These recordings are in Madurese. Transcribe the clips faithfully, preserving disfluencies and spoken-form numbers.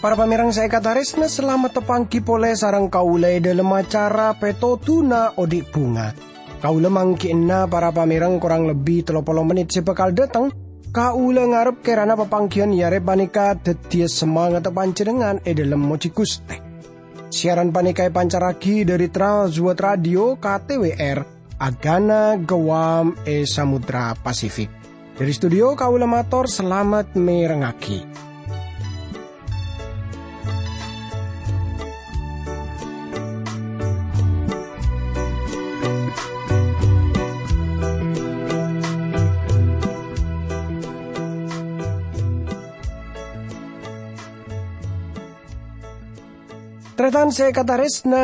Para pamèrèng sè èkatarèsna, salamet tapangghi polè sareng kaulâ è dhâlem acara Pètodhuna Odi' Bhunga. Kaulâ mangghi'na para pamèrèng korang lebbi tello polo mennit sè bhâkal dhâteng. Kaulâ ngarep kèrana papangghiyân è arè panèka dhâddhiyâ samangatta panjhennengngan è dhâlem mojhi Ghustè. Siaran panèka èpancarraghi dhâri Trans World Radio K T W R, Agana Guam è Samudra Pasifik. Dhâri studio kaulâ mator salamet mèrengngaghi. Tarètan sè èkatarèsna,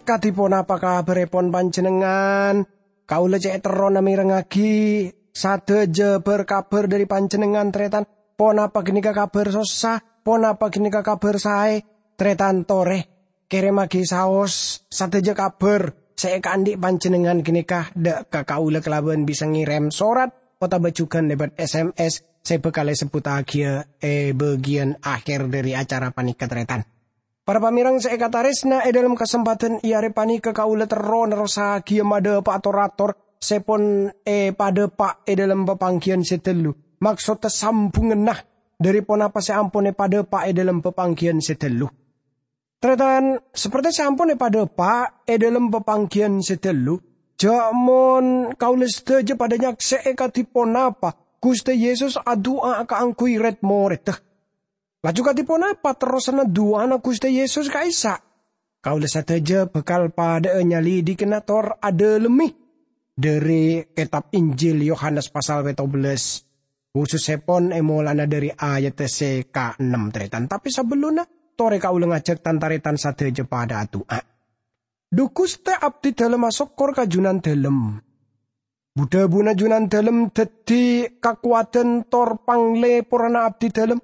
kadhi ponapa kabhârèpon panjhennengngan? Kaulâ cè' terrona mèrengngaghi sadhâjâ bhâr-kabhâr dhâri panjhennengngan, tarètan. Ponapa ghânèka kabhâr sossa? Ponapa ghânèka kabhâr saè? Tarètan torè, kèrèmmaghi saos sadhâjâ kabhâr sè èkaandhi' panjhennengngan ghânèka dhâ' ka kaulâ kalabân bisa ngèrèm sorat otabâ jhughân lèbât S M S sè bhâkal èsebbhuttaghiyâ è bâgiyân akhèr dhâri acara panèka, tarètan. Para pamèrèng sè èkatarèsna, è dhâlem kasempadhân è arè panèka kaulâ terro nerrossaghiyâ madhâpa'a tor-ator sè pon èpadhâpa' è dhâlem papangghiyân sè ghâllu, maksoddhâ sambhungnganna dhâri ponapa sè ampon èpadhâpa' è dhâlem papangghiyân sè ghâllu. Tarètan, saperte sè ampon èpadhâpa' è dhâlem papangghiyân sè ghâllu, jhâ' mon kaulâ sadhâjâ padhâ nyaksè'è kadhi ponapa Ghustè Yesus adu'a kaangghuy rèd-morèdda. Laju kadhi ponapa terrosanna du'ana Ghustè Yesus ka'issa'? Kaulâ sadhâjâ bhâkal padhâ'â nyalidikana tor adhâlemmè dhâri kètab Injil Yohanes pasal pètto bellâs, khusussèpon è molana dhâri ayadda sè kaennem, tarètan. Tapè sabellunna, torè kaulâ ngajhâk tan-tarètan sadhâjâ padhâ adu'a. Dhu Ghustè, abdhidhâlem asokkor ka Junandhâlem. Bu-dhâbuna Junandhâlem dhâddhi kakowadhân tor panglèporranna abdhidhâlem.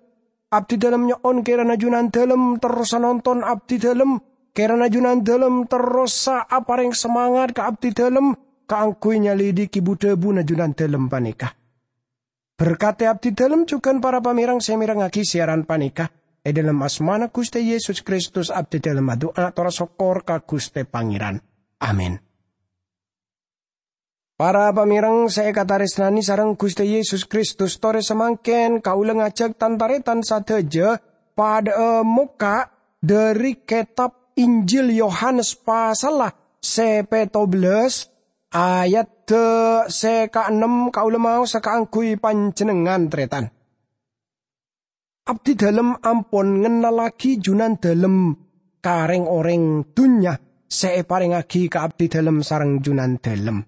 Abdhidhâlem nyo'on kèrana Junandhâlem terrosa nonton abdhidhâlem, kèrana Junandhâlem terrosa aparèng samangat ka abdhidhâlem kaangghuy nyalidiki bu-dhâbuna Junandhâlem panèka. Berkadhi abdhidhâlem jhughân para pamèrèng sè mèrengngaghi siaran panèka. È dhâlem asmana Ghustè Yesus Kristus abdhidhâlem adu'a tor asokkor ka Ghustè Pangèran. Amin. Para pamèrèng sè èkatarèsnanè sareng Ghustè Yesus Kristus, torè samangkèn kaulâ ngajhâk tan-tarètan sadhâjâ padhâ'â mokka' dhâri kètab Injil Yohanes pasalla sè pètto bellâs, ayadda sè kaennem kaulâ maosa kaangghuy panjhennengngan, tarètan. Abdhidhâlem ampon ngennallaghi Junandhâlem ka rèng-orèng dhunnya sè èparèngngaghi ka abdhidhâlem sareng Junandhâlem.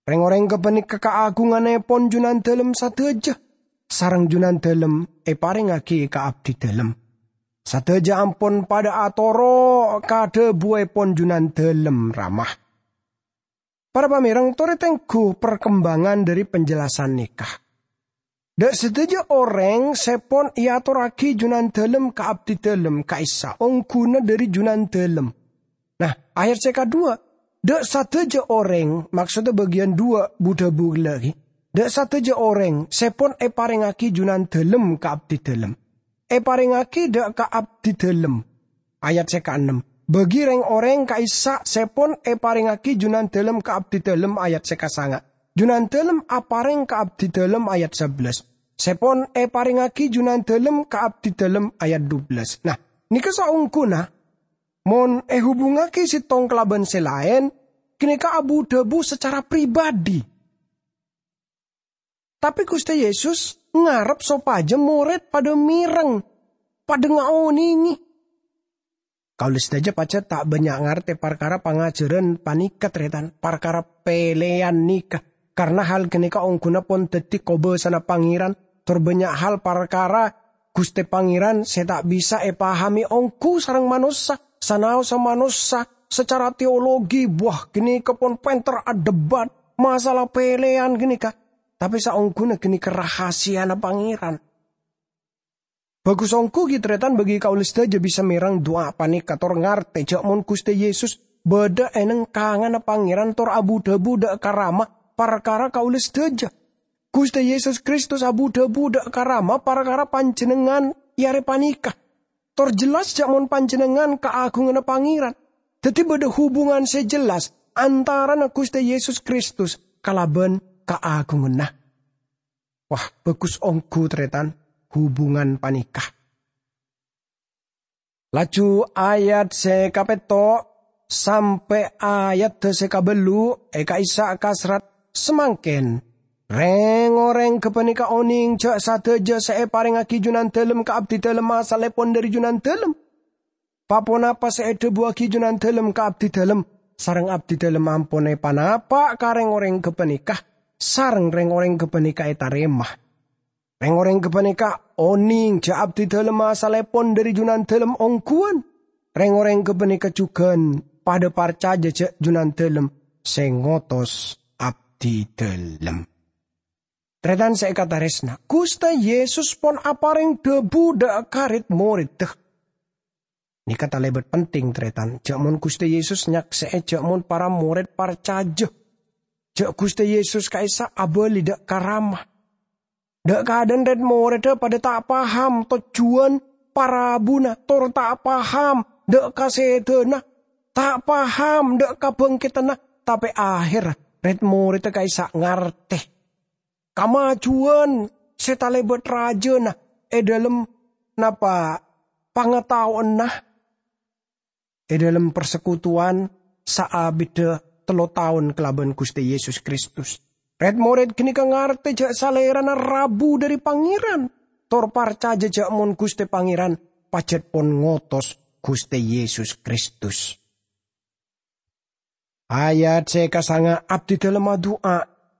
Rèng-orèng ghâpanèka kaagunganèpon Junandhâlem sadhâjâ, sareng Junandhâlem èparèngngaghi ka abdhidhâlem. Sadhâjâ ampon padhâ atoro' ka dhâbuèpon Junandhâlem, Rama. Para pamèrèng, torè tengghu parkembangan dhâri penjelasan nèka. Dâ' sadhâjâ orèng sè pon èatorraghi Junandhâlem ka abdhidhâlem ka'issa' ongghuna dhâri Junandhâlem. Nah, ayat sè kaduwâ', dâ' sadhâjâ orèng, maksoddhâ bâgiyân duwâ' bu-dhâbu ghellâ' ghi, dâ' sadhâjâ orèng sè pon èparèngngaghi Junandhâlem ka abdhidhâlem, èparèngngaghi dâ' ka abdhidhâlem. Ayat sè kaennem, bâgi rèng-orèng ka'issa' sè pon èparèngngaghi Junandhâlem ka abdhidhâlem, ayat sè kasanga'. Junandhâlem aparèng ka abdhidhâlem, ayat sabellâs. Sè pon èparèngngaghi Junandhâlem ka abdhidhâlem, ayat dubellâs. Nah, nèka saongghuna, mon èhubungngaghi sèttong kalabân sè laèn, ghânèka abu-dhâbu sacara pribadi. Tapè Ghustè Yesus ngarep sopajâ morèd padâ mèreng, padâ ngaonèngè. Kaulâ sadhâjâ pajhât ta' bânnya' ngartè parkara pangajhârân panèka, tarètan, parkara pèlèyan nèka, karna hal ghânèka ongghuna pon dhâddhi kobâsana Pangèran, tor bânnya' hal parkara Ghustè Pangèran sè ta' bisa èpahamè ongghu sareng manossa, sanaossa manossa sacara teologi, bâh, ghânèka pon pènter adebat masalah pèlèyan ghânèka. Tapè saongghuna ghânèka rahasiyana Pangèran. Bhâghus ongghu ghi' tarètan bagi kaulâ sadhâjâ bisa mèreng du'a panèka tor ngartè jâ' mon Ghustè Yesus bâdâ è neng-kanganna Pangèran tor abu-dhâbu dâ' ka Rama parkara kaulâ sadhâjâ. Ghustè Yesus Kristus abu-dhâbu dâ' ka Rama parkara panjhennengngan è arè panèka. Tor jelas jâ' mon panjhennengngan kaagunganna Pangèran. Dhâddhi bâdâ hubungan sè jelas antarana Ghustè Yesus Kristus kalabân kaagunganna. Wah, bhâghus ongghu, tarètan, hubungan panèka. Laju ayat sè kapètto' sampè' ayadda sè kabâllu' è ka'issa' kasrat samangkèn, "Rèng-orèng ghâpanèka onèng jâ' sadhâjâ sè èparèngaghi Junandâlem ka abdidâlem asalèpon dhâri Junandâlem. Pa-ponapa sè èdhâbuwâghi Junandâlem ka abdidâlem, sareng abdidâlem ampon èpanapa' ka rèng-orèng ghâpanèka, sareng rèng-orèng ghâpanèka ètarèma. Rèng-orèng ghâpanèka onèng jâ' abdidâlem asalèpon dhâri Junandâlem ongghuwân. Rèng-orèng ghâpanèka jhughân padâ parcajâ jâ' Junandâlem sè ngotos abdidâlem." Tarètan sè èkatarèsna, Ghustè Yesus pon aparèng dhâbu dâ' ka rèd-morèdda. Nèka talèbât penting, tarètan. Jâ' mon Ghustè Yesus nyaksè'è jâ' mon para morèd parcajâ jâ' Ghustè Yesus ka'issa' abâli dâ' ka Rama. Dâ' kaadâ'ân rèd-morèdda padâ ta' paham tojjhuwân parabuna, tor ta' paham dâ' ka sèdhâna, ta' paham dâ' kabhângkèdhânna, tapè ahèrra rèd-morèdda ka'issa' ngartè kamajuwân sè talèbât rajâna è dhâlem napa pangataowanna è dhâlem parsekutuwan saabiddhâ tello taon kalabân Ghustè Yesus Kristus. Rèd-morèd ghânèka ngartè jâ' Salèrana rabu dhâri Pangèran, tor parcajâ jâ' mon Ghustè Pangèran pajhât pon ngotos Ghustè Yesus Kristus. Ayat sè kasanga', abdidâlem adu'a,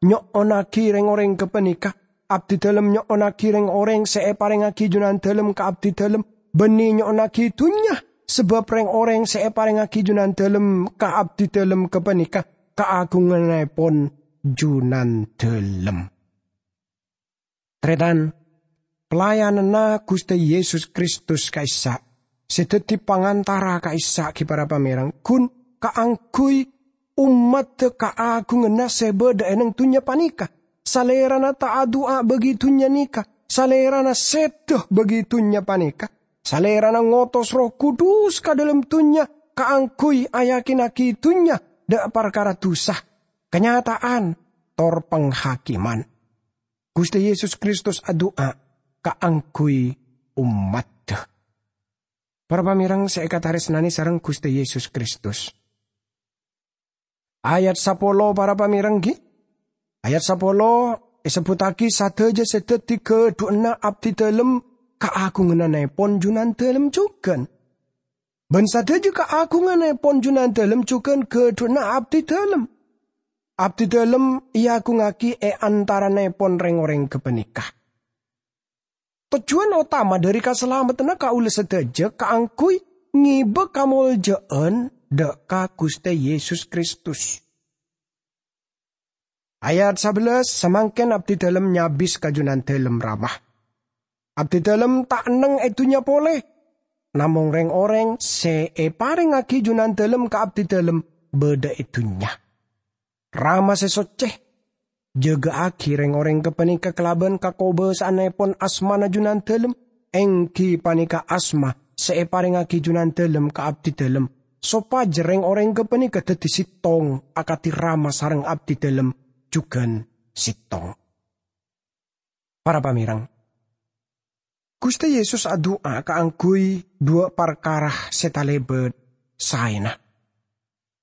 nyo'onnaghi rèng-orèng ghâpanèka. Abdidâlem nyo'onnaghi rèng-orèng sè èparèngaghi Junandâlem ka abdidâlem, bânnè nyo'onnaghi dhunnya, sabâb rèng-orèng sè èparèngaghi Junandâlem ka abdidâlem ghâpanèka kaagunganèpon Junandâlem. Tarètan, pelayananna Ghustè Yesus Kristus ka'issa', sè dhâddhi pangantara ka'issa' ghi para pamèreng, ghun kaangghuy ommaddhâ kaagunganna sè bâdâ è neng dhunnya panèka. Salèrana ta' adu'a bagi dhunnya nèka, Salèrana sèdhâ bagi dhunnya panèka. Salèrana ngotos Erroh Kudus ka dhâlem dhunnya kaangghuy ayakinaghi dhunnya dâ' parkara dhusa, kanyata'an, tor panghakèman. Ghustè Yesus Kristus adu'a kaangghuy ommaddhâ. Para pamèreng sè èkatarèsnanè sareng Ghustè Yesus Kristus. Ayat sapolo, para pamèreng, ghi. Ayat sapolo èsebbhuttaghi sadhâjâ sè dhâddhi ghâdhuwânna abdidâlem kaagunganèpon Junandâlem jhughân. Bân sadhâjâ kaagunganèpon Junandâlem jhughân ghâdhuwânna abdidâlem. Abdidâlem èagungngaghi è antaranèpon rèng-orèng ghâpanèka. Tojjhuwân otama dhâri kasalameddhânna kaulâ sadhâjâ kaangghuy ngèbâ kamoljâ'ân dâ' ka Ghustè Yesus Kristus. Ayat sabellâs, samangkèn abdidâlem nyabis ka Junandâlem Rama. Abdidâlem ta' neng è dhunnya polè, namong rèng-orèng sè èparèngaghi Junandâlem ka abdidâlem bâdâ è dhunnya. Rama sè soccè, jâgâ'aghi rèng-orèng ghâpanèka kalabân kakobâsa'annèpon asmana Junandâlem, èngghi panèka asma sè èparèngaghi Junandâlem ka abdidâlem, sopajâ rèng-orèng ghâpanèka dhâddhi sèttong akadhi Rama sareng abdidâlem jhughân sèttong. Para pamèreng, Ghustè Yesus adu'a kaangghuy dhuwâ' parkara sè talèbât saèna.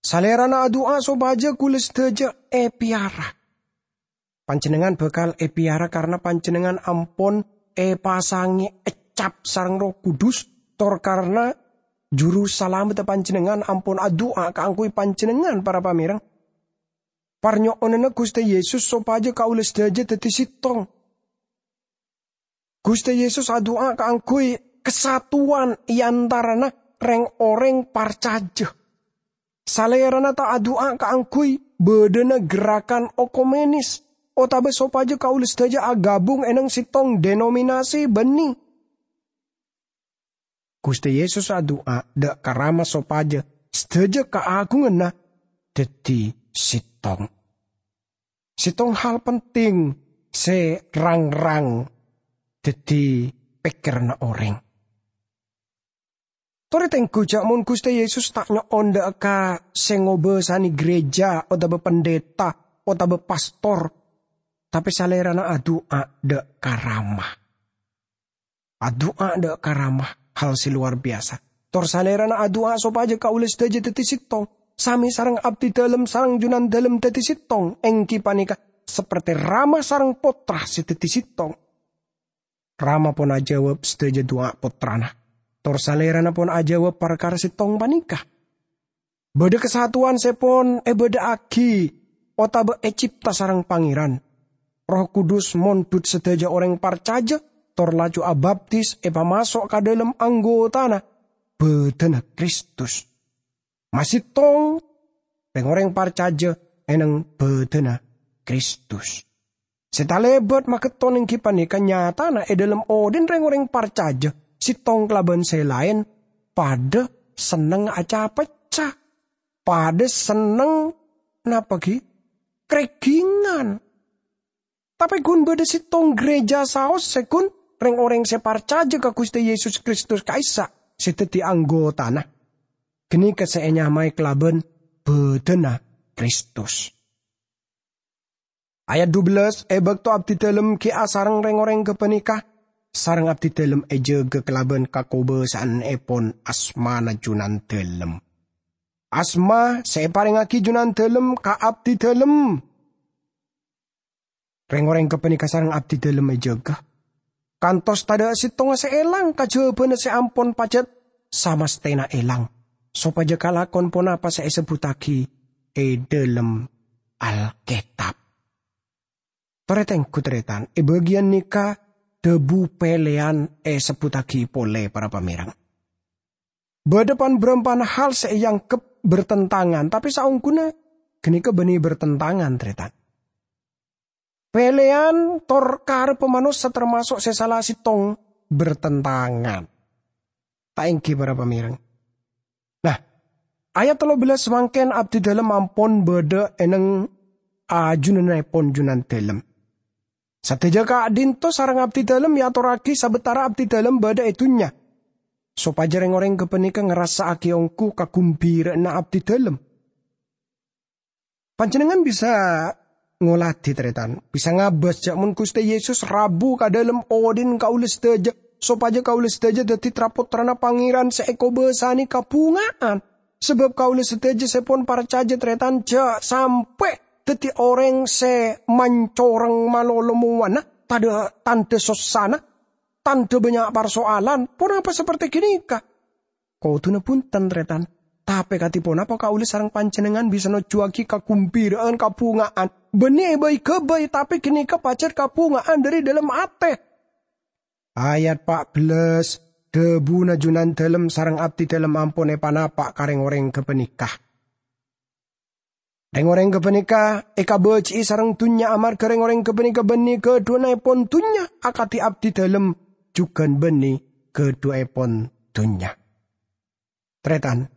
Salèrana adu'a sopajâ kaulâ sadhâjâ èpèyara. Panjhennengngan bhâkal èpèyara karna panjhennengngan ampon èpasangè ècap sareng Erroh Kudus, tor karna Juru Salameddhâ panjhennengngan ampon adu'a kaangghuy panjhennengngan, para pamèreng. Parnyo'onanna Ghustè Yesus sopajâ kaulâ sadhâjâ dhâddhi sèttong. Ghustè Yesus adu'a kaangghuy kasatuwan è antarana rèng-orèng parcajâ. Salèrana ta' adu'a kaangghuy bâdâna gerakan okumènis, otabâ sopajâ kaulâ sadhâjâ aghâbung è neng sèttong denominasi bânnè. Ghustè Yesus adu'a dâ' ka Rama sopajâ sadhâjâ kaagunganna dhâddhi sèttong. Sèttong hal penting sè rang-rang dhâddhi pèkkèranna orèng. Torè tengghu jâ' mon Ghustè Yesus ta' nyo'on dâ' ka sè ngobâsanè ghârèjâ otabâ pendeta otabâ pastor, tapè Salèrana adu'a dâ' ka Rama. Adu'a dâ' ka Rama hal sè lowar biyasa. Tor Salèrana adu'a sopajâ kaulâ sadhâjâ dhâddhi sèttong, samè sareng abdidâlem sareng junandâlem dhâddhi sèttong, èngghi panèka sapertè Rama sareng Pottra sè dhâddhi sèttong. Rama pon ajâwâb sadhâjâ du'a Pottrana, tor Salèrana pon ajâwâb parkara sèttong panèka. Bâdâ kasatowan sè pon èbâdâ'aghi otabâ ècèpta sareng Pangèran. Erroh Kudus mondhut sadhâjâ orèng parcajâ, tor laju abaptis èpamaso' ka dâlem anggotana bâdâna Kristus. Masèttong rèng-orèng parcajâ è neng bâdâna Kristus. Sè talèbât magetton èngghi panèka nyatana è dâlem odhi'na rèng-orèng parcajâ, sèttong kalabân sè laèn, padâ sennengnga ca-pecca, padâ senneng, napa ghi? Krèghingan. Tapè ghun bâdâ sèttong ghârèjâ saos sè ghun rèng-orèng sè parcajâ ka Ghustè Yesus Kristus ka'issa' sè dhâddhi anggotana. Ghânèka sè ènyamaè kalabân bâdâna Kristus. Ayat dubellâs, "È bâkto abdidâlem ghi' asareng rèng-orèng ghâpanèka, sareng abdidâlem èjâgâ kalabân kakobâsa'annèpon asmana Junandâlem." Asma sè èparèngaghi Junandâlem ka abdidâlem. Rèng-orèng ghâpanèka sareng abdidâlem èjâgâ. Kantos tadâ' sèttonga sè èlang kajhâbhâna sè ampon pajhât samastèna èlang, sopajâ kalakon ponapa sè èsebbhuttaghi è dâlem Alkètab. Torè tengghu, tarètan, è bâgiyân nèka dhâbu pèlèyan èsebbhuttaghi polè, para pamèreng. Bâdâ pan-bârâmpana hal sè èangghep bertentangan, tapè saongghuna ghânèka bânnè bertentangan, tarètan. Pèlèyan tor karebbhâ manossa tamaso' sè sala sèttong bertentangan. Ta' èngghi, para pamèreng? Nah, ayat tello bellâs samangkèn abdidâlem ampon bâdâ è neng ajunanèpon Junandâlem. Sadhâjâ ka'dinto sareng abdidâlem èatorraghi sabâtara abdidâlem bâdâ è dhunnya, sopajâ rèng-orèng ghâpanèka ngarassa'aghi ongghu kaghembhira'anna abdidâlem. Panjhennengngan bisa ngolatè, tarètan, bisa ngabâs jâ' mon Ghustè Yesus rabu ka dâlem odhi'na kaulâ sadhâjâ, sopajâ kaulâ sadhâjâ dhâddhi tra-pottrana Pangèran sè èkobâsanè kabhunga'an. Sabâb kaulâ sadhâjâ sè pon parcajâ, tarètan, jâ' sampè' dhâddhi orèng sè mancorèng malolo mowana, tadâ' tandhâ sossana, tandhâ bânnya' parsoalan, ponapa sapertè ghânèka? Kodhuna bhunten, tarètan. Tapè kadhi ponapa kaulâ sareng panjhennengngan bisa nojjhuwâghi kaghembhira'an kabhunga'an? Bânnè èbâi-ghâbây, tapè ghânèka pajhât kabhunga'an dhâri dâlem atè. Ayat pa' bellâs, dhâbuna Junandâlem sareng abdidâlem ampon èpanapa' ka rèng-orèng ghâpanèka. Rèng-orèng ghâpanèka èkabâji'i sareng dhunnya amarghâ rèng-orèng ghâpanèka bânnè ghâdhuwânnaèpon dhunnya akadhi abdidâlem jhughân bânnè ghâdhuwâèpon dhunnya. Tarètan,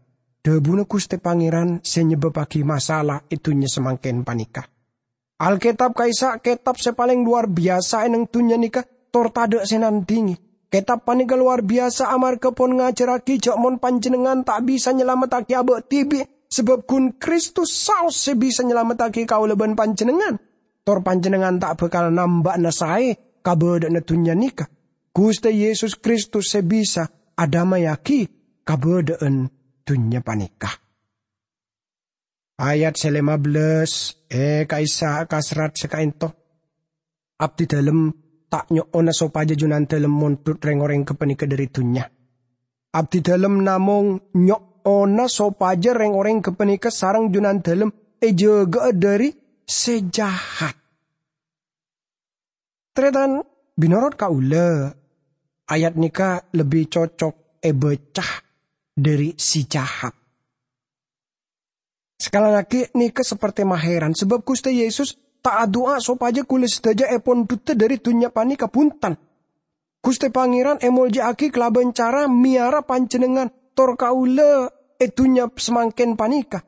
dhâbuna Ghustè Pangèran sè nyebâbbhâghi masalah è dhunnya samangkèn panèka. Alkètab ka'issa' kètab sè palèng lowar biyasa è neng dhunnya nèka, tor tadâ' sè nandhingè. Kètab panèka lowar biyasa amarghâ pon ngajhârraghi jâ' mon panjhennengngan ta' bisa nyalamettaghi abâ' dhibi', sabâb ghun Kristus saos sè bisa nyalamettaghi kaulâ bân panjhennengngan. Tor panjhennengngan ta' bhâkal namba'ana saè kabâdâ'ânna dhunnya nèka. Ghustè Yesus Kristus sè bisa adhâmayaghi kabâdâ'ân dhunnya panèka. Ayat sè lèma bellâs, è ka'issa' ka serrat sè ka'ènto. Abdidâlem ta' nyo'ona sopajâ Junandâlem mondhut rèng-orèng ghâpanèka dhâri dhunnya. Abdidâlem namong nyo'ona sopajâ rèng-orèng ghâpanèka sareng Junandâlem èjâgâ'â dhâri sè jahat. Tarètan, mènorot kaulâ, ayat nèka lebbi cocok èbâca dhâri sè jahat. Sakalangaghi nèka sapertè mahèran, sabâb Ghustè Yesus ta' adu'a sopajâ kaulâ sadhâjâ èpondhuttâ dhâri dhunnya panèka, bhunten. Ghustè Pangèran èmoljâ'aghi kalabân cara mèyara panjhennengngan tor kaulâ è dhunnya samangkèn panèka.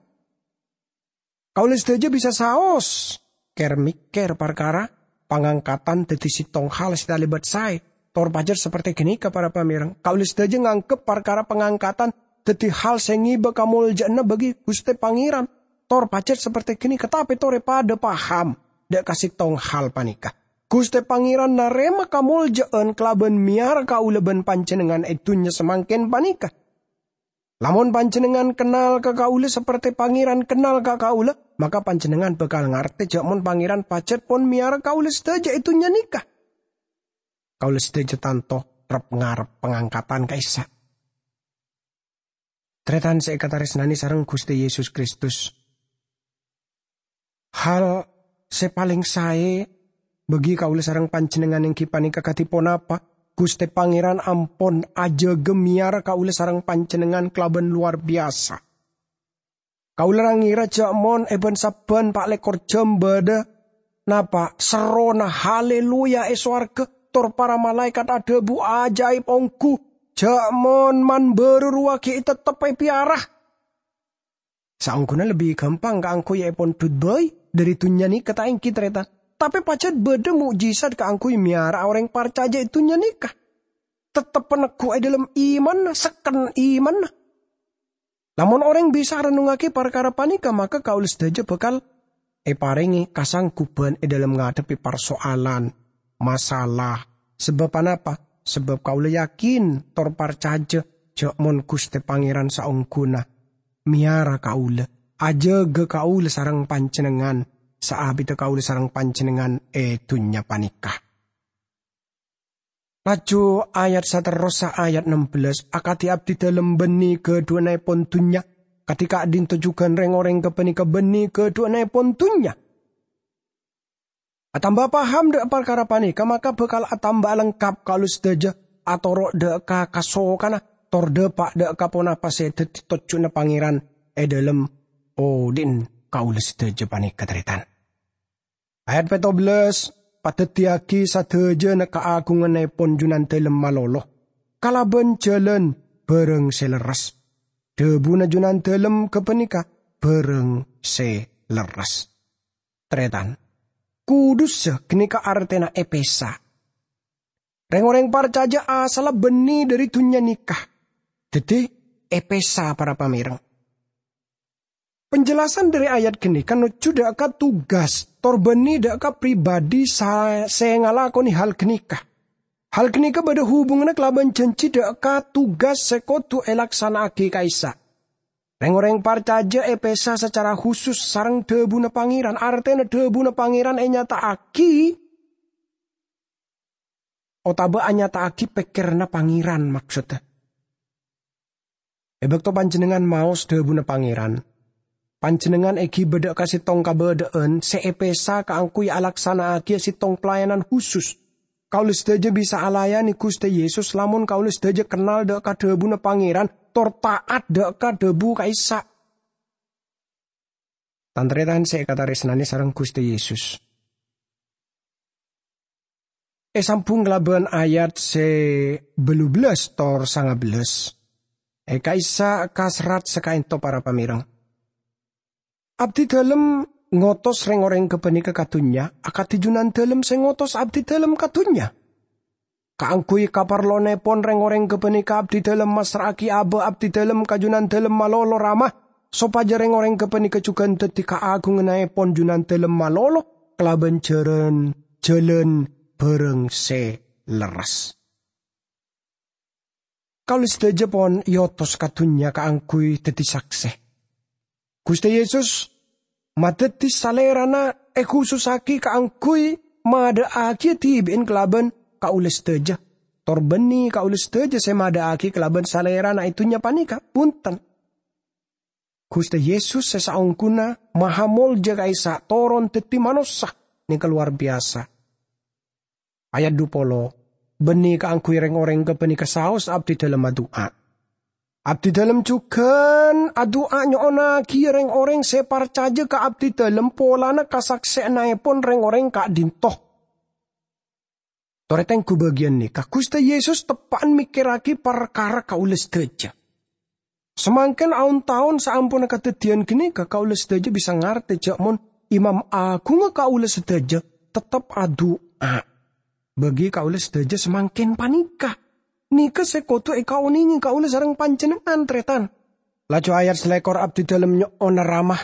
Kaulâ sadhâjâ bisa saos kèr-mèkkèr parkara pangangkatan dhâddhi sèttong hal sè talèbât saè, tor pajhât saperte ghânèka, para pamèreng. Kaulâ sadhâjâ nganggep parkara pangangkatan dhâddhi hal sè ngèbâ kamoljâ'ânna bagi Ghustè Pangèran, tor pajhât saperte ghânèka, tapè torè padâ paham dâ' ka sèttong hal panèka. Ghustè Pangèran narèma kamoljâ'ân kalabân mèyara kaulâ bân panjhennengngan è dhunnya samangkèn panèka. Lamon panjhennengngan kennal ka kaulâ saperte Pangèran kennal ka kaulâ, maka panjhennengngan bhâkal ngartè jâ' mon Pangèran pajhât pon mèyara kaulâ sadhâjâ è dhunnya nèka. Kaulâ sadhâjâ tanto rep-ngarep pangangkatan ka'issa'. Tarètan sè èkatarèsnanè sareng Ghustè Yesus Kristus, hal sè palèng saè bagi kaulâ sareng panjhennengngan èngghi panèka kadhi ponapa? Ghustè Pangèran ampon ajâgâ mèyara kaulâ sareng panjhennengngan kalabân lowar biyasa. Kaulâ ra-ngira jâ' mon è bân-sabbhân pa' lèkor jhâm bâdâ napa serrona "Haleluya" è sowarghâ, tor para malaèkat adhâbu ajaib ongghu, jâ' mon man-bârâ rowa ghi' tettep èpèyara. Saongghuna lebbi ghâmpang kaangghuy èpondhut bhâi dhâri dhunnya nèka, ta' èngghi, tarètan? Tapè pajhât bâdâ mo'jizat kaangghuy mèyara orèng parcajâ è dhunnya nèka. Tettep paneggu è dhâlem imanna, sekken imanna. Lamon orèng bisa rennongngaghi parkara panèka, maka kaulâ sadhâjâ bhâkal èparèngè kasangguban è dhâlem ngadhebbhi parsoalan, masalah. Sabâb anapa? Sabâb kaulâ yakin tor parcajâ jâ' mon Ghustè Pangèran saongghuna mèyara kaulâ, ajâgâ kaulâ sareng panjhennengngan, saabidhâ kaulâ sareng panjhennengngan è dhunnya panèka. Laju ayat saterrossa, ayat nem bellâs, "Akadhi abdidhâlem bânnè ghâdhuwânnaèpon dhunnya, kadhi ka'dinto jhughân rèng-orèng ghâpanèka bânnè ghâdhuwânnaèpon dhunnya." Atamba paham dâ' parkara panèka, maka bhâkal atamba lengkap kaulâ sadhâjâ atoro' dâ' ka kasokanna, tor dâpa' dâ' ka ponapa sè dhâddhi tojjhuna Pangèran è dhâlem odi'na kaulâ sadhâjâ panèka, tarètan. Ayat pètto bellâs, "Padhâddhiyâghi sadhâjâna kaagungannaèpon Junandhâlem malolo, kalabân jhâlân bhârâng sè lerres." Dhâbuna Junandhâlem ghâpanèka bhârâng sè lerres. Tarètan, kudussa ghânèka artèna èpèsa. Rèng-orèng parcajâ asalla bânnè dhâri dhunnya nèka. Dhâddhi, èpèsa, para pamèreng. Penjelasan dhâri ayat ghânèka nojjhu dâ' ka tugas tor bânnè dâ' ka pribadi sa-, sè ngalakonè hal ghânèka. Hal ghânèka bâdâ hubunganna kalabân janji dâ' ka tugas sè kodhu èlaksana'aghi ka'issa'. Rèng-orèng parcajâ èpèsa sacara husus sareng dhâbuna Pangèran, artèna dhâbuna Pangèran ènyata'aghi otabâ anyata'aghi pèkkèranna Pangèran, maksodda. È bâkto panjhennengngan maos dhâbuna Pangèran, panjhennengngan èghibâ dâ' ka sèttong kabâdâ'ân sè èpèsa kaangghuy alaksana'aghiyâ sèttong pelayanan husus. Kaulâ sadhâjâ bisa alayanè Ghustè Yesus lamon kaulâ sadhâjâ kennal dâ' ka dhâbuna Pangèran tor ta'at dâ' ka dhâbu ka'issa'. Tan-tarètan sè èkatarèsnanè sareng Ghustè Yesus. Èsambhung kalabân ayat sè bâllu bellâs tor sanga bellâs. È ka'issa' ka serrat sè ka'ènto, para pamèreng. Abdidhâlem ngotos rèng-orèng ghâpanèka ka dhunnya, akadhi Junandhâlem sè ngotos abdidhâlem ka dhunnya. Kaangghuy kaparlowannaèpon rèng-orèng ghâpanèka abdidhâlem massra'aghi abâ' abdidhâlem ka Junandhâlem malolo, Rama, sopajâ rèng-orèng ghâpanèka jhughân dhâddhi kaagungannaèpon Junandhâlem malolo kalabân jhârân, jhâlân bhârâng sè lerres. Kaulâ sadhâjâ pon èotos ka dhunnya kaangghuy dhâddhi saksè. Ghustè Yesus madhâddhi Salèrana èkhusussaghi kaangghuy madâ'aghiyâ dhibi'en kalabân kaulâ sadhâjâ, tor bânnè kaulâ sadhâjâ sè madâ'aghi kalabân Salèrana è dhunnya panèka. Bhunten. Ghustè Yesus sè saongghuna maha molja ka'issa' toron dhâddhi manossa, nèka lowar biyasa. Ayat dhu polo, bânnè kaangghuy rèng-orèng ghâpanèka saos abdidhâlem adu'a. Abdidhâlem jhughân adu'a nyo'onnaghiyâ rèng-orèng sè parcajâ ka abdidhâlem polana kasaksè'annaèpon rèng-orèng ka'dinto. Torè tengghu bâgiyân nèka, Ghustè Yesus teppa'an mèkkèrraghi parkara kaulâ sadhâjâ. Samangkèn aon-taon saamponna kadhâddhiyân ghânèka, kaulâ sadhâjâ bisa ngartè jâ' mon Imam Aghungnga kaulâ sadhâjâ tettep adu'a bâgi kaulâ sadhâjâ samangkèn panèka. Nèka sè kodhu èkaonèngè kaulâ sareng panjhennengngan, tarètan. Laju ayat salèkor, abdidhâlem nyo'ona Rama,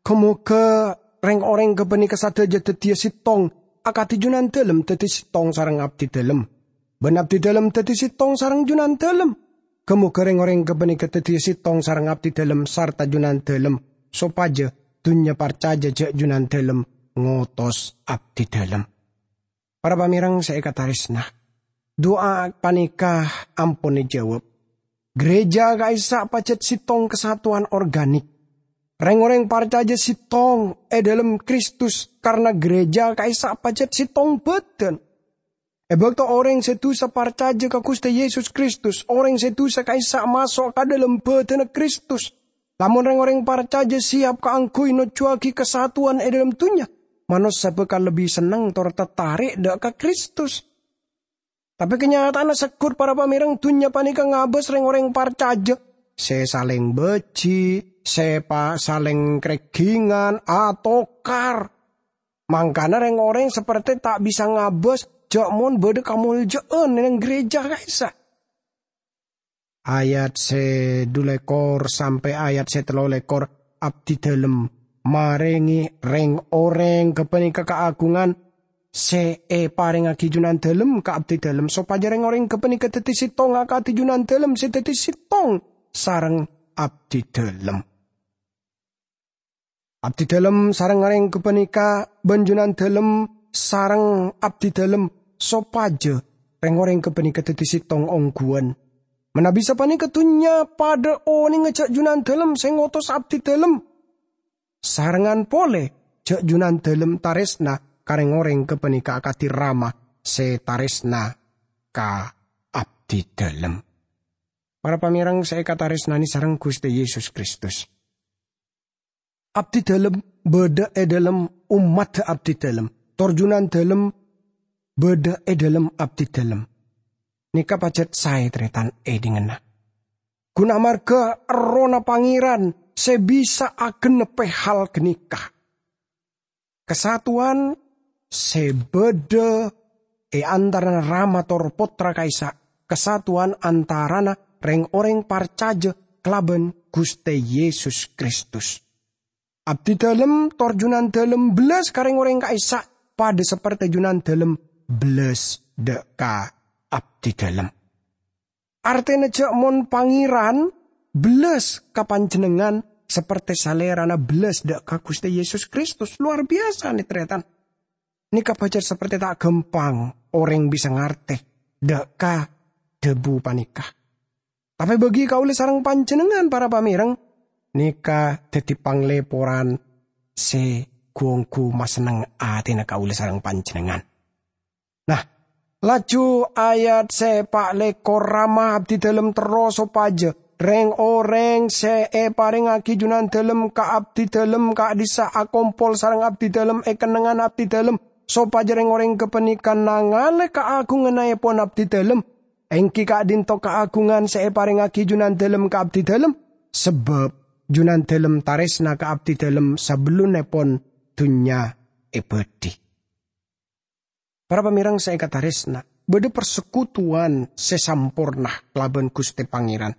"Ghâ-moghâ rèng-orèng ghâpanèka sadhâjâ dhâddhiyâ sèttong, akadhi Junandhâlem dhâddhi sèttong sareng abdidhâlem, bân abdidhâlem dhâddhi sèttong sareng Junandhâlem. Ghâ-moghâ rèng-orèng ghâpanèka dhâddhiyâ sèttong sareng abdidhâlem sarta Junandhâlem, sopajâ dhunnya parcajâ jâ' Junandhâlem ngotos abdidhâlem." Para pamèreng sè èkatarèsna, du'a panèka ampon èjâwâb. Gereja ka'issa' pajhât sèttong kasatowan organik. Rèng-orèng parcajâ sèttong è dhâlem Kristus, karna gereja ka'issa' pajhât sèttong bhâdhân. È bâkto orèng sè dusa parcajâ ka Ghustè Yesus Kristus, orèng sè dusa ka'issa' maso' ka dhâlem bhâdhânna Kristus. Lamon rèng-orèng parcajâ sèyap kaangghuy nojjhuwâghi kasatowan è dhâlem dhunnya, manossa bhâkal lebbi senneng tor tatarè' dâ' ka Kristus. Tapè kanyata'anna segghut, para pamèreng, dhunnya panèka ngabâs rèng-orèng parcajâ, sè salèng bâji', sè pa-, salèng krèghingan, atokar. Mangkana rèng-orèng saperte ta' bisa ngabâs jâ' mon bâdâ kamoljâ'ân è neng gereja ka'issa'. Ayat sè dulèkor sampè' ayat sè tellolèkor, abdidhâlem marèngè rèng-orèng ghâpanèka kaagungan sè èparèngaghi Junandhâlem ka abdidhâlem, sopajâ rèng-orèng ghâpanèka dhâddhi sèttong akadhi Junandhâlem sè dhâddhi sèttong sareng abdidhâlem. Abdidhâlem sareng rèng ghâpanèka bân Junandhâlem sareng abdidhâlem, sopajâ rèng-orèng ghâpanèka dhâddhi sèttong ongghuwân. Manabi sapanèka dhunnya padâ onènga jâ' Junandhâlem sè ngotos abdidhâlem, sarengngan polè jâ' Junandhâlem tarèsna ka rèng-orèng ghâpanèka akadhi rama sè tarèsna ka abdidhâlem. Para pamèreng sè èkatarèsnanè sareng Ghustè Yesus Kristus. Abdidhâlem bâdâ è dhâlem ommaddhâ abdidhâlem, tor Junandhâlem bâdâ è dhâlem abdidhâlem. Nèka pajhât saè tarètan èdingngana. Ghun amarghâ Errohna Pangèran sè bisa agennebbhi hal ghânèka. Kasatowan sè bâdâ è antarana Rama tor Pottra ka'issa', kasatowan antarana rèng-orèng parcajâ kalabân Ghustè Yesus Kristus. Abdidhâlem tor Junandhâlem bellas ka rèng-orèng ka'issa', padâ saperte Junandhâlem bellas dâ' ka abdidhâlem. Artèna jâ' mon Pangèran bellas ka panjhennengngan, saperte Salèrana bellas dâ' ka Ghustè Yesus Kristus. Lowar biyasa, nè-, tarètan. Nèka pajhât saperte ta' ghâmpang orèng bisa ngartè dâ' ka dhâbu panèka. Tapè bâgi kaulâ sareng panjhennengngan, para pamèreng, nèka dhâddhi panglèporan sè ghu-ongghu masenneng atèna kaulâ sareng panjhennengngan. Nah, laju ayat sè pa' lèkor, Rama abdidhâlem terro sopajâ rèng-orèng sè èparèngaghi Junandhâlem ka abdidhâlem ka'dhissa' akompol sareng abdidhâlem è kennengngan abdidhâlem, sopajâ rèng-orèng ghâpanèka nangalè kaagungannaèpon abdidhâlem, èngghi ka'dhinto kaagungan sè èparèngaghi Junandhâlem ka abdidhâlem, sabâb Junandhâlem tarèsna ka abdidhâlem sabellunnèpon dhunnya èbâdhi. Para pamèreng sè èkatarèsna, bâdâ parsekutuwan sè samporna kalabân Ghustè Pangèran.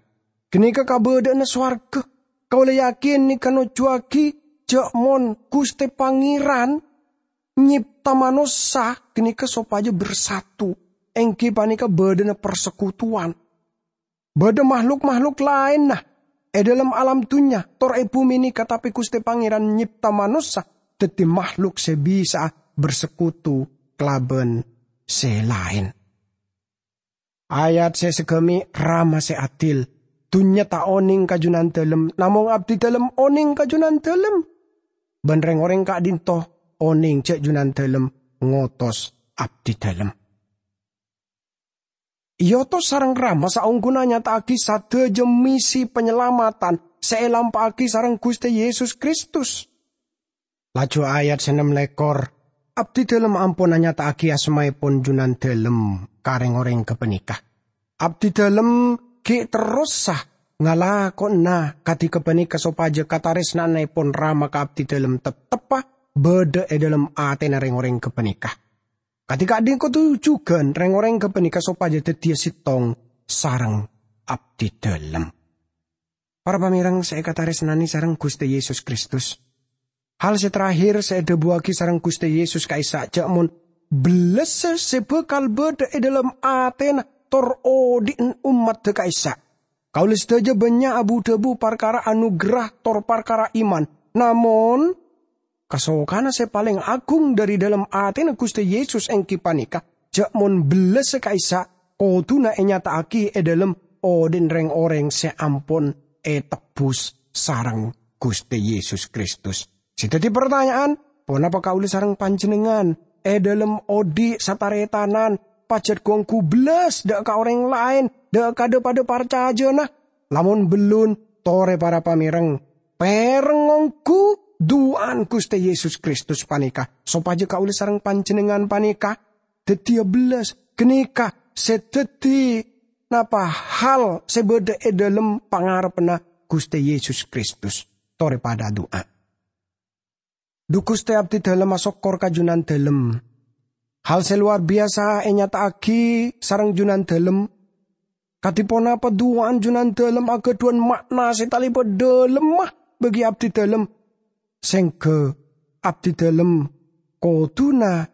Ghânèka kabâdâ'ânna sowarghâ. Kaulâ yakin nèka nojjhuwâghi jâ' mon Ghustè Pangèran nyèpta manossa ghânèka sopajâ bersatu, èngghi panèka bâdâna parsekutuwan. Bâdâ mahluk-mahluk laènna è dhâlem alam dhunnya tor è bhumè nèka, tapè Ghustè Pangèran nyèpta manossa dhâddhi mahluk sè bisa'a bersekutu kalabân sè laèn. Ayat sè saghâmè', Rama sè adil. Dhunnya ta' onèng ka Junandhâlem, namong abdidhâlem onèng ka Junandhâlem. Bân rèng-orèng ka'dhinto onèng jâ' Junandhâlem ngotos abdidhâlem. Èotos sareng Rama saongghuna nyata'aghi sadhâjâ misi panyalamatan sè èlampa'aghi sareng Ghustè Yesus Kristus. Laju ayat sè ennem lèkor, abdidhâlem ampon anyata'aghi asmaèpon Junandhâlem ka rèng-orèng ghâpanèka. Abdidhâlem ghi' terrosa ngalakonana kadhi ghâpanèka sopajâ katarèsna'annaèpon Rama ka abdidhâlem tetteppa bâdâ è dhâlem atèna rèng-orèng ghâpanèka. Kadhi ka'dhinto' jhughân rèng-orèng ghâpanèka sopajâ dhâddhiyâ sèttong sareng abdidhâlem. Para pamèrèng sè èkatarèsnanè sareng Ghustè Yesus Kristus, hal sè terakhir sè èdhâbuwâghi sareng Ghustè Yesus ka'issa' jhâ' mon bellâssa sè bhâkal bâdâ è dhâlem atèna tor odi'na ommaddhâ ka'issa'. Kaulâ sadhâjâ bânnya' abu-dhâbu parkara anugerah tor parkara iman, namong kasokanna sè palèng aghung dhâri dhâlem atèna Ghustè Yesus èngghi panèka, jhâ' mon bellâssa ka'issa' kodhuna ènyata'aghi è dhâlem odi'na rèng-orèng sè ampon ètebbhus sareng Ghustè Yesus Kristus. Sè dhâddhi partanya'an, ponapa kaulâ sareng panjhennengngan è dhâlem odi' sataretanan pajhât ghu-ongghu bellâs dâ' ka orèng laèn, dâ' ka dhâ-padâ parcajâna? Lamon bellun, torè para pamèrèng, pèrèng ongghu du'ana Ghustè Yesus Kristus panèka, sopajâ kaulâ sareng panjhennengngan panèka dhâddhiyâ bellâs. Ghânèka sè dhâddhi napa hal sè bâdâ è dhâlem pangarebbhâ Ghustè Yesus Kristus. Torè padâ adu'a. Dhu Ghustè, abdidhâlem asokkor ka Junandhâlem. Hal sè lowar biyasa ènyata'aghi sareng Junandhâlem. Kadhi ponapa du'ana Junandhâlem aghâdhuwân ma'na sè talèbât dhâlemma bagi abdidhâlem, sèngghâ abdidhâlem kodhuna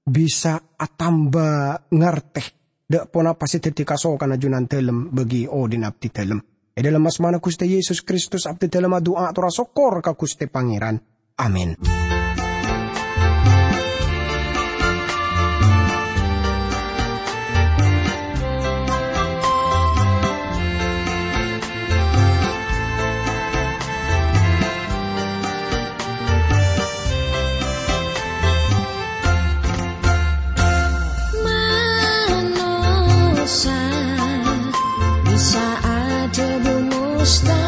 bisa atamba ngartè dâ' ponapa sè dhâddhi kasokanna Junandhâlem bagi odi'na abdidhâlem. È dhâlem asmana Ghustè Yesus Kristus abdidhâlem adu'a tor asokkor ka Ghustè Pangèran. Amin. Manossa bisa adhâbu mustahil.